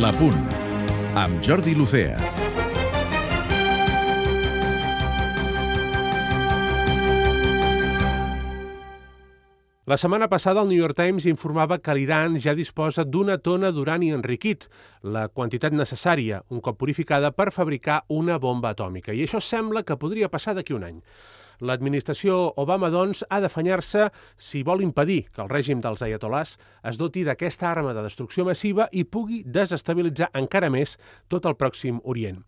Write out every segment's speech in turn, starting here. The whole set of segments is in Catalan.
La Punt, amb Jordi Lucea. La setmana passada el New York Times informava que l'Iran ja disposa d'una tona d'urani enriquit, la quantitat necessària, un cop purificada, per fabricar una bomba atòmica. I això sembla que podria passar d'aquí un any. L'administració Obama, doncs, ha d'afanyar-se si vol impedir que el règim dels aiatolars es doti d'aquesta arma de destrucció massiva i pugui desestabilitzar encara més tot el Pròxim Orient.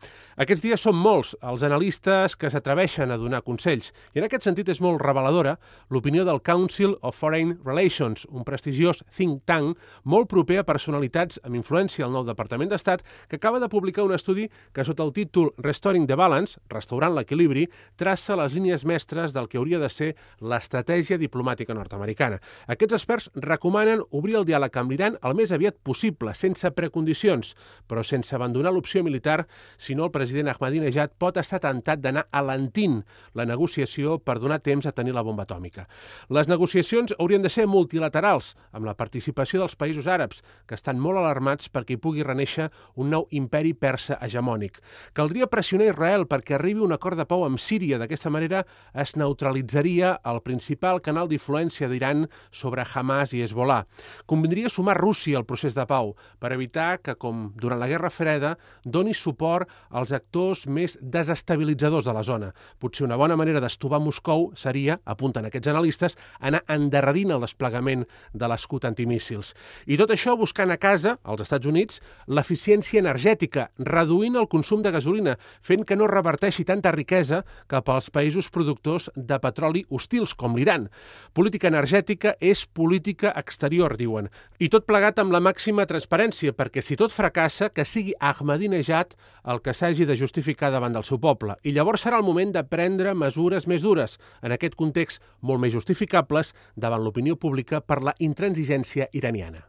Aquests dies són molts els analistes que s'atreveixen a donar consells i en aquest sentit és molt reveladora l'opinió del Council of Foreign Relations, un prestigiós think tank molt proper a personalitats amb influència al nou Departament d'Estat que acaba de publicar un estudi que sota el títol Restoring the Balance, restaurant l'equilibri, traça les línies mestres del que hauria de ser l'estratègia diplomàtica nord-americana. Aquests experts recomanen obrir el diàleg amb l'Iran el més aviat possible, sense precondicions, però sense abandonar l'opció militar, si no el president Ahmadinejad pot estar tentat d'anar alentint la negociació per donar temps a tenir la bomba atòmica. Les negociacions haurien de ser multilaterals, amb la participació dels països àrabs, que estan molt alarmats perquè hi pugui renéixer un nou imperi persa hegemònic. Caldria pressionar Israel perquè arribi un acord de pau amb Síria. D'aquesta manera es neutralitzaria el principal canal d'influència d'Iran sobre Hamas i Hezbollah. Convindria sumar Rússia al procés de pau per evitar que, com durant la Guerra Freda, doni suport als actors més desestabilitzadors de la zona. Potser una bona manera d'estovar Moscou seria, apunten aquests analistes, anar endarrerint el desplegament de l'escut antimíssils. I tot això buscant a casa, als Estats Units, l'eficiència energètica, reduint el consum de gasolina, fent que no reverteixi tanta riquesa cap als països productors de petroli hostils, com l'Iran. Política energètica és política exterior, diuen. I tot plegat amb la màxima transparència, perquè si tot fracassa, que sigui Ahmadinejad el que s'hagi de justificar davant del seu poble. I llavors serà el moment de prendre mesures més dures, en aquest context molt més justificables davant l'opinió pública per la intransigència iraniana.